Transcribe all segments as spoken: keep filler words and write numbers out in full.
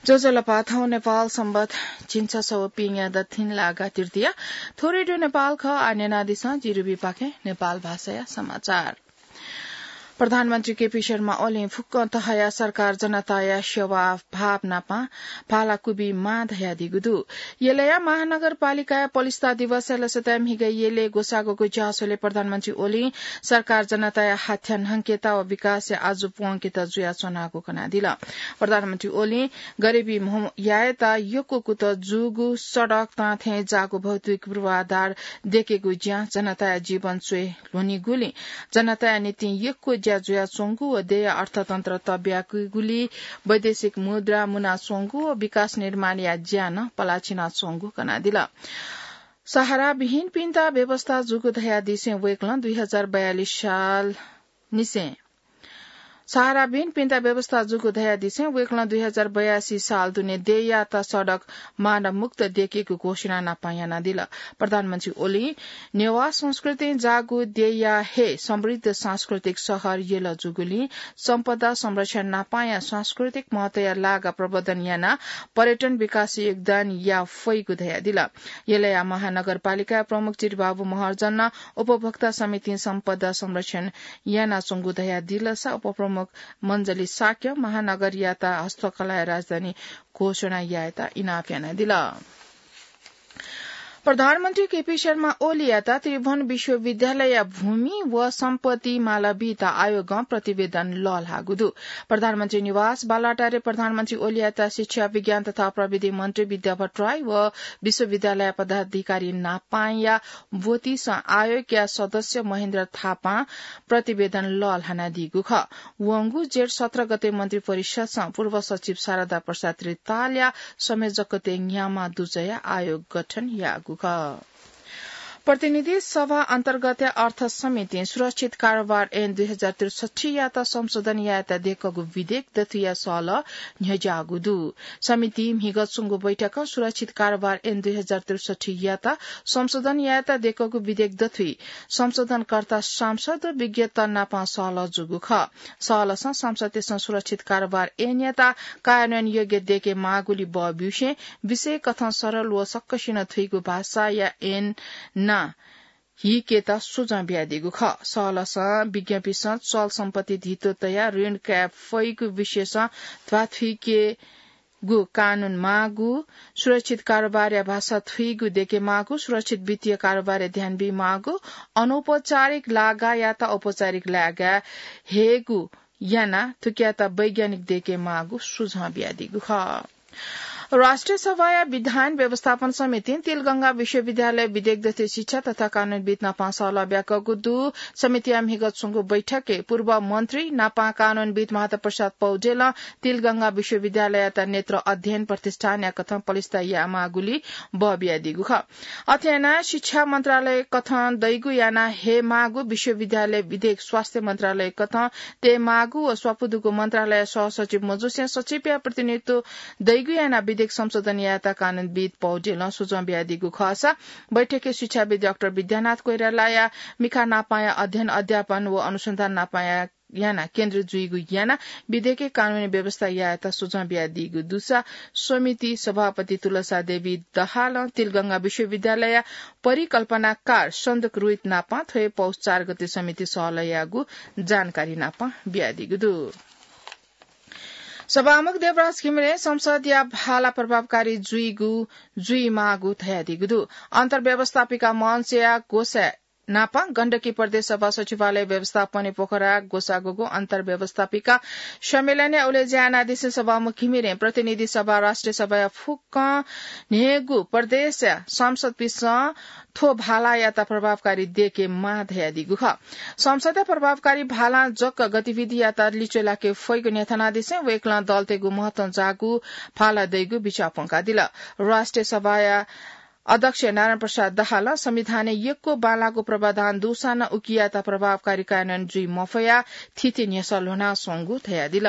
ज्वजलपा, थौं नेपाल संवत झिंछसः व पिंगया दथिंलागा तृतीया। थ्व रेडियो नेपाल खः। आः न्यनादिसँ जि रुबीपाखें नेपाल भाषाया समाचार। प्रधानमन्त्री केपी शर्मा ओलीं फुक्क तहया सरकार जनताया सेवा भाव नापं भाला क्वबी माः धयादीगु दु। यलया महानगरपालिकाया पलिस्था दिवसया लसताय् म्हिगः यलय् ग्वसाःगु झ्याःस्वलय् प्रधानमन्त्री ओलीं सरकार जनताया हाथ्या न्हंकेत व विकासया आजु प्वंकेत जुयाच्वनागु कनादिल। प्रधानमन्त्री ओलीं गरिबी म्हो यायेत यक्व कुतः जूगु, सडक तां थें जाःगु भौतिक पूर्वाधार दयेकेगु ज्या जनताया जीवन च्वय् ल्ह्वनीगुलिं जनताया निंतिं यक्व ज्या जुयाच्वंगु व देय्‌या अर्थतन्त्र तब्याकीगुलिं वैदेशिक मुद्रा मुनाच्वंगु व विकास निर्माणया ज्या नं पलाच्वनाच्वंगु कनादिल। सहाराविहीनपिन्त व्यवस्था जूगु धयादिसें वय्‌कलं दुई हजार बयालिस साल निसें सहाराविहीनपिन्त व्यवस्था जूगु धयादिसें वय्‌कलं दुई हजार बयासी साल दुने देय्‌यात सडक मानवमुक्त दयेकेगु घोषणा नापं यानादिल। प्रधानमन्त्री ओलीं नेवाः संस्कृतिं जाःगु देय्‌या हे समृद्ध सांस्कृतिक शहर यल जूगुलिं सम्पदा संरक्षण नापंया सांस्कृतिक महत्वया लागा प्रवर्धन यानाः पर्यटन विकासय् योगदान याये फइगु धयादिल। यलया महानगरपालिका प्रमुख चिरिबाबु महर्जनं उपभोक्ता समितिं सम्पदा संरक्षण यानाच्वंगु धयादिलसा उपप्रमुख मञ्जली शाक्यं महानगरयात हस्तकलाया राजधानी घोषणा यायेत इनाप यानादिल। प्रधानमन्त्री केपी शर्मा ओलीयात त्रिभुवन विश्वविद्यालयया भूमि व सम्पत्ति माला बीत आयोगं प्रतिवेदन लःल्हाःगु दु। प्रधानमन्त्री निवास बालुवाटारय् प्रधानमन्त्री ओलीयात शिक्षा, विज्ञान तथा प्रविधि मन्त्री विद्या भट्टराई व विश्वविद्यालय पदाधिकारी नापंया ब्वतिसं आयोगया सदस्य महेन्द्र थापां प्रतिवेदन लःल्हानादीगु खः। वंगु जेठ सत्र गते मन्त्री परिषदसं पूर्व सचिव शारदा प्रसाद रितालया संयोजकत्वय् न्ह्यामा दुजया आयोग गठन याःगु खः। प्रतिनिधि सभा अन्तर्गतया अर्थ समितिं सुरक्षित कारोबार ऐन दुई हजार त्रिसठ्ठीयात संशोधन यायेत दय्‌कूगु विधेयक दथुइया सहलह न्ह्यज्याःगु दु। समितिं म्हिगः च्वंगु बैठकं सुरक्षित कारोबार ऐन दुई हजार त्रिसठ्ठीयात संशोधन यायेत दय्‌कूगु विधेयक दथुइ संशोधनकर्ता सांसद व विज्ञत नापं सहलह जूगु खः। सहलहसं सांसदतय्‌सं सुरक्षित कारोबार ऐनयात कार्यान्वयन योग्य दय्‌के माःगुलिं बः ब्यूसें विषय कथं सरल व सकसिनं थुइगु भाषाया ऐन नां हीकेत सुझाव बियादीगु खः। सहलहसं विज्ञपिसं चल सम्पत्ति धितो तयाः ऋण काये फइगु विषयसं ध्वाथुइकेगु कानून माःगु, सुरक्षित कारोबारया भाषा थुइगु दय्‌के माःगु, सुरक्षित वित्तीय कारोबारय् ध्यान बी माःगु, अनौपचारिक लागायात औपचारिक लागा हयेगु यानाः थुकियात वैज्ञानिक दय्‌के माःगु सुझाव बियादीगु खः। राष्ट्रिय सभाया विधान व्यवस्थापन समितिं तिलगंगा विश्वविद्यालय विधेयक दथुइ शिक्षा तथा कानूनविद् नापं सहलह ब्याकूगु दु। समितिया म्हिगः च्वंगु बैठकय् पूर्व मन्त्री नापं कानूनविद् माधव प्रसाद पौडेलं तिलगंगा विश्वविद्यालययात नेत्र अध्ययन प्रतिष्ठानया कथं पलिस्था यायेमाःगुलिं बः बियादीगु खः। अथे यानाः शिक्षा मन्त्रालय कथं दइगु याना हयेमाःगु विश्वविद्यालय विधेयक स्वास्थ्य मन्त्रालय कथं तयेमाःगु व स्वापू दुगु मन्त्रालय सहसचिव मजुसें सचिवया प्रतिनिधित्व दइगु यानाः विधेयक संशोधन यायेत कानूनविद् पौडेलं सुझाव बियादीगु खःसा बैठकय् शिक्षाविद् डाक्टर विद्यानाथ कोइरालाया मिखा नापंया अध्ययन अध्यापन व अनुसन्धान नापंया यानाः केन्द्र जुइगु यानाः विधेयकय् कानूनी व्यवस्था यायेत सुझाव बियादीगु दुसा समिति सभापति तुलसा देवी दहालं तिलगंगा विश्वविद्यालयया परिकल्पनाकार सन्दक रोहित नापं थ्व हे पौष चार गते समिति सहलह याःगु जानकारी नापं बियादीगु दु। सभामुख देवराज घिमिरें संसदया भाला प्रभावकारी जुइगु जुइमाःगु धयादीगु दु। अन्तर्व्यवस्थापिका मञ्चया ग्वसाः नापं गण्डकी प्रदेश सभा सचिवालय व्यवस्थापनय् पोखरा ग्वसाःगु अन्तर्व्यवस्थापिका सम्मेलनय् उलेज्या यानादिसें सभामुख घिमिरें प्रतिनिधि सभा राष्ट्रिय सभाया फुक्कं न्हय्‌गू प्रदेशया सांसदपिन्सं थ्व भालायात प्रभावकारी दयेके माः धयादीगु खः। संसदया प्रभावकारी भालां जक गतिविधियात लिच्वय् लाके फइगु न्ह्यथनादिसें वय्‌कलं दलतय्‌गु महत्वं जाःगु भाला दइगु बिचाः प्वंकादिल। राष्ट्रिय सभाया अध्यक्ष नारायण प्रसाद दाहालं संविधानय् यक्व बांलाःगु प्रावधान दुसां नं उकियात प्रभावकारी कार्यान्वयन जुइ मफयाः थीथी न्ह्यसः ल्ह्वनाच्वंगु धयादिल।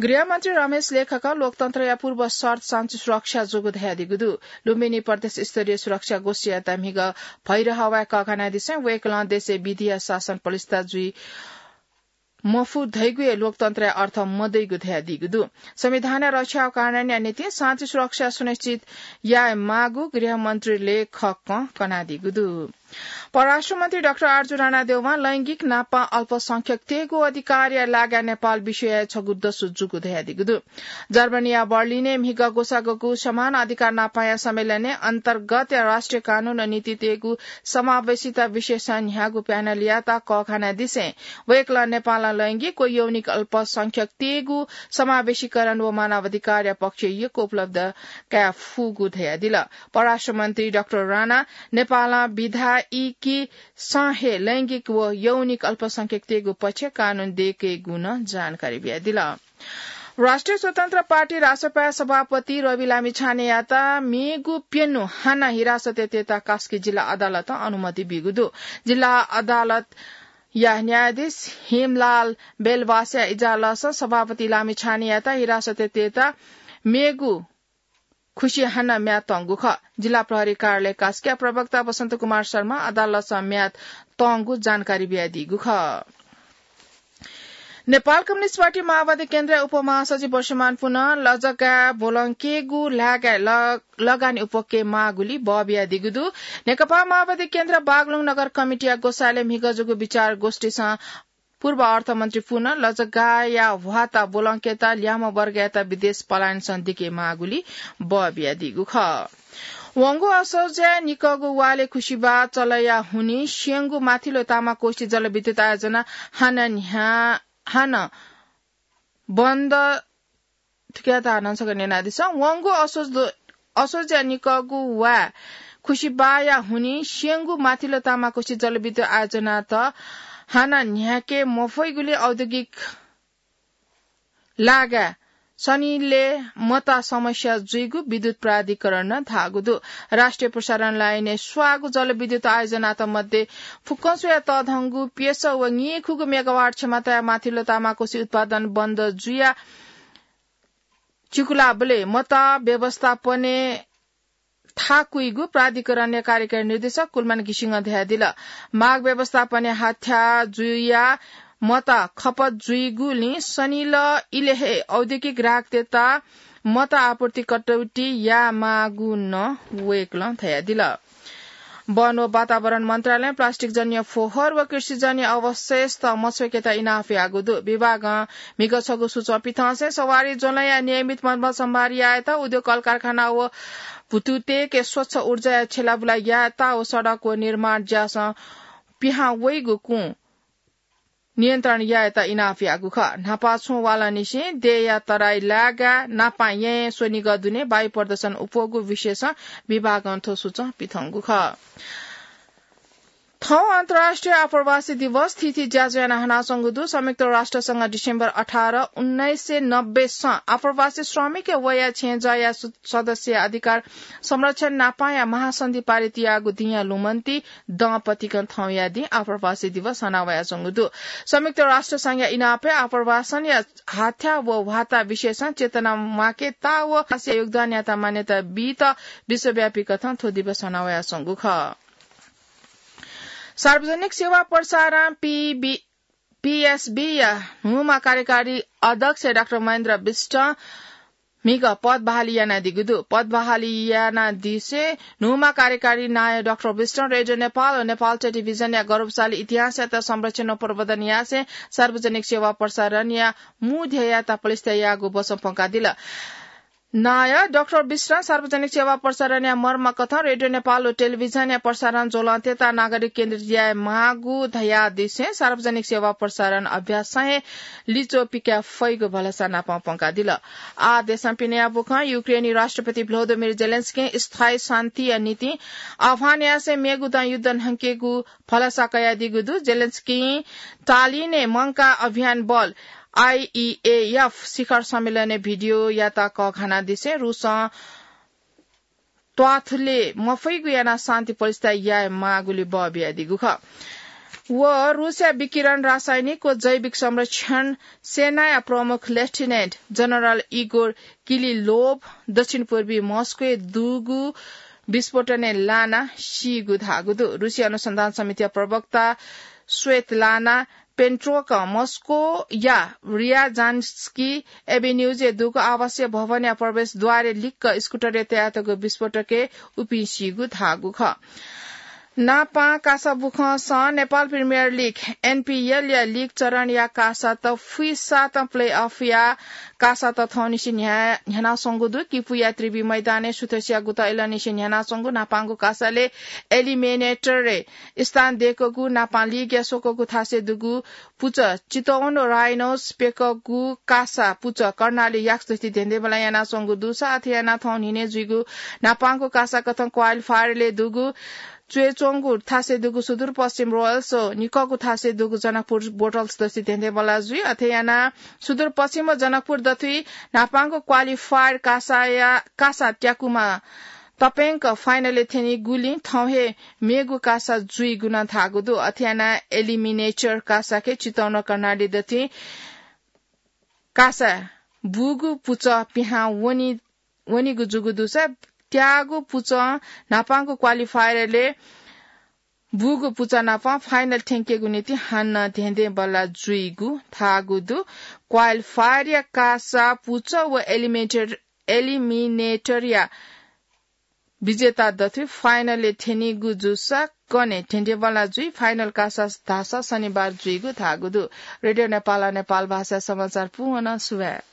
गृहमन्त्री रमेश लेखकं लोकतन्त्रया पूर्व शर्त शान्ति सुरक्षा जूगु धयादीगु दु। लुम्बिनी प्रदेश स्तरीय सुरक्षा गोष्ठीयात म्हिगः भैरहवाय् कःघानादिसें वय्‌कलं देशय् विधिया शासन पलिस्था जुइ मफु धइगु हे लोकतन्त्रया अर्थ मदइगु धयादीगु दु। संविधानया रक्षा व कार्यान्वयनया निंतिं शान्ति सुरक्षा सुनिश्चित याये माःगु गृहमन्त्रीले खक्क कनादीगु दु। परराष्ट्र मन्त्री डाक्टर आरजु राणा देउवां लैंगिक नापं अल्पसंख्यकतय्गु अधिकारया लागाय् नेपाल विश्वया छगू दसु जूगु धयादीगु दु। जर्मनीया बर्लिनय् म्हिगः ग्वसाःगु समान अधिकार नापंया सम्मेलनय् अन्तर्गतया राष्ट्रिय कानून व नीतितय्गु समावेशिता विषयसं न्ह्याःगु प्यानलयात कःघानादिसें वय्कलं नेपालं लैंगिक व यौनिक अल्पसंख्यकतय्गु समावेशीकरण व मानवाधिकारया पक्षय् यक्व उपलब्ध काये फुगु धयादिल। परराष्ट्र मन्त्री डाक्टर राणा नेपालं विधायिकीसं हे लैंगिक व यौनिक अल्पसंख्यकतय्गु पक्षय् कानून दय्केगु नं जानकारी बियादिल। राष्ट्रिय स्वतन्त्र पार्टी रासपाया सभापति रवि लामिछानेयात मेगु प्यन्हु हानं हिरासतय् तयेत कास्की जिल्ला अदालतं अनुमति बीगु दु। जिल्ला अदालतया न्यायाधीश हेमलाल बेलवासया इजालसं सभापति लामिछानेयात हिरासतय् तयेत मेगु खुसी हानं म्याद तंगु खः। जिल्ला प्रहरी कार्यालय कास्कीया प्रवक्ता वसन्त कुमार शर्मां अदालतसं म्याद तंगु जानकारी बियादीगु खः। नेपाल कम्युनिस्ट पार्टी माओवादी केन्द्रया उपमहासचिव वर्षमान पुनं लजगाः ब्वलंकेगु लागाय् ल-, लगानी उपक्यये माःगुलिं बः बियादीगु दु। नेकपा माओवादी केन्द्र बागलुङ नगर कमिटीया ग्वसालय् म्हिगः जूगु विचार गोष्ठीसं पूर्व अर्थमन्त्री पुनं लजगाःया ह्वाता ब्वलंकेत ल्याःम्ह वर्गयात विदेश पलायनसं दिके माःगुलिं बः बियादीगु खः। वंगु असोजय् निकःगु वालय् खुसिबाः चलया हुनिं स्यंगु माथिल्लो तामाकोशी जलविद्युत आयोजना हानं न्ह्या-, हानं बन्द थुकियात हानं छकः न्यनादिसँ। वंगु असोज-, असोजया निकःगु वा खुसिबाःया हुनिं स्यंगु माथिल्लो तामाकोशी जलविद्युत आयोजनात हानं न्ह्याके मफइगुलिं औद्योगिक लागाय् सनिलय् मता समस्या जुइगु विद्युत प्राधिकरणं धाःगु दु। राष्ट्रिय प्रसारण लाइनय् स्वाःगु जलविद्युत आयोजनात मध्ये फुक्कं स्वयाः तःधंगु प्यसः व नीखुगू मेगावाट क्षमताया माथिल्लो तामाकोशी उत्पादन बन्द जुयाः चिकुलाबलय् मता व्यवस्थापनय् थाकुइगु प्राधिकरणया कार्यकारी निर्देशक कुलमान घिसिङं धयादिल। माग व्यवस्थापनय् हाथ्या जुयाः मता खपत जुइगुलिं सनिल इलय् हे औद्योगिक ग्राहकतय्त मता आपूर्ति कटौती यायेमाःगु नं वय्कलं धयादिल। वन व वातावरण मन्त्रालयं प्लास्टिकजन्य फोहोर व कृषिजन्य अवशेषत मछ्वय्केत इनाप याःगु दु। विभागं म्हिगः छगू सूचं पिथंसें सवारी ज्वलंया नियमित मर्मत सम्भार यायेत, उद्योग कलकारखाना व भुतुतय्के स्वच्छ ऊर्जाया छ्यलाबुला यायेत व सडक व निर्माण ज्यासं पिहां वइगु कुं नियन्त्रण यायेत इनाप याःगु खः। न्हापा छुं वालंनिसें देय्या तराई लागाय् नापां येँय् स्वनिगः दुने वायु प्रदूषण उप्वःगु विषयसं विभागं थ्व सूचं पिथंगु खः। थौं अन्तर्राष्ट्रिय आप्रवासी दिवस थीथी ज्याझ्वः यानाः हनाच्वंगु दु। संयुक्त राष्ट्र संघ डिसेम्बर अठार, उन्नाइस सय नब्बे सं आप्रवासी श्रमिकया वया छेँजःया सु-, सदस्यया अधिकार संरक्षण नापांया महासन्धि पारित याःगु दिंया लुमन्ति दँपतिकं थौंया दिं आप्रवासी दिवस हनावयाच्वंगु दु। संयुक्त राष्ट्र संघया इनापय् आप्रवासनया हाथ्या व ह्वाता विषयसं चेतना म्वाकेत व आप्रवासीया योगदानयात मान्यता बीत विश्वव्यापी कथं थ्व दिवस हनावयाच्वंगु खः। सार्वजनिक सेवा प्रसारण पीबी, पीएसबीया न्हूम्ह कार्यकारी अध्यक्ष डाक्टर महेन्द्र विष्ट म्हिगः पद बहाली यानादीगु दु। पद बहाली यानादिसें न्हूम्ह कार्यकारी नायः डाक्टर विष्टं रेडियो नेपाल व नेपाल टेलिभिजनया गौरवशाली इतिहासयात संरक्षण व प्रवर्धन यासें सार्वजनिक सेवा प्रसारणया मू ध्येययात पलिस्था याःगु बचं प्वंकादिल। नायः डाक्टर विष्टं सार्वजनिक सेवा प्रसारणया मर्मकथं रेडियो नेपाल व टेलिभिजनया प्रसारण ज्वलंतय्त नागरिक केन्द्रित याये माःगु धयादिसें सार्वजनिक सेवा प्रसारण अभ्यासं हे लिच्वः पिकाये फइगु भलसा नापं प्वंकादिल। आः देशं पिने याः बुखँ युक्रेनी राष्ट्रपति भ्लोदिमिर जेलेन्स्कीं स्थायी शान्तिया निंतिं आह्वान यासें मेगु दँ युद्ध न्हंकेगु भलसा कयादीगु दु। जेलेन्स्कीं टालिनय् मंकाः अभियान बल, आइइएएफ, शिखर सम्मेलनय् भिडियोयात कःघानादिसें रुसं त्वाथुले मफइगु यानाः शान्ति प्रतिष्ठा याये माःगुलि बः बियादीगु खः। व रुसया विकिरण, रासायनिक व जैविक संरक्षण सेनाया प्रमुख लेफ्टिनेन्ट जनरल इगोर किलिलोभ दक्षिण पूर्वी मस्कोय् दुगु विस्फोटनय् लानाः सीगु धाःगु दु। रुसी अनुसन्धान समितिया प्रवक्ता स्वेतलाना पेन्ट्रोक मस्कोया रियाजान्स्की एभिन्यूजय् दुगु आवासीय भवनया प्रवेशद्वारय् लिक्क स्कुटरय् तयातःगु विस्फोटकय् उपिं सीगु धाःगु खः। नापां कासा बुखंसं नेपाल प्रिमियर लिग, एनपिएलया लिग चरणया कासात फुइसातं प्लेअफया कासात थौंनिसें न्ह्या-, न्ह्यानाच्वंगु दु। किपुया त्रिवि मैदानय् सुथसिया गुत इलंनिसें न्ह्यानाच्वंगु नापांगु कासालय् एलिमिनेटरय् स्थान दय्‌कूगु नापां लिगया स्वकूगु थासय् दुगु पुचः चितवन राइनोस प्यकःगु कासा पुचः कर्णाली याक्स दथुइ धेंधेंबल्लाः यानाच्वंगु दुसा अथे यानाः थौं न्हिनय् जुइगु नापांगु कासाकथं क्वालिफायरलय् दुगु च्वय्‌च्वंगु थासय् दुगु सुदूरपश्चिम रोयल्स व निकःगु थासय् दुगु जनकपुर बोटल्स दथुइ धेंधेंबल्लाः जुइ। अथे यानाः सुदूरपश्चिम व जनकपुर दथुइ नापांगु क्वालिफायर कासाया, कासा त्याकुमा तप्यंक फाइनलय् थ्यनीगुलिं थौं हे मेगु कासा जुइगु नं धाःगु दु। अथे यानाः एलिमिनेटर कासाके चितवन कर्णाली दथुइ कासा बूगु पुचः पिहां वनी, वनीगु जूगु दुसा त्याःगु पुचः नापांगु क्वालिफायरलय् बूगु पुचः नाप फाइनल थ्यंकेगु निंतिं हानं धेंधेंबल्लाः जुइगु धाःगु दु। क्वालिफायरया कासा पुचः व एलिमिनेटर, एलिमिनेटरया विजेता दथुइ फाइनलय् थ्यनीगु जूसा कन्हय् धेंधेंबल्लाः जुइ। फाइनल कासा धाःसा शनिबार जुइगु धाःगु दु। रेडियो नेपाल, नेपाल भाषा समाचार पूवंक सुभाय्।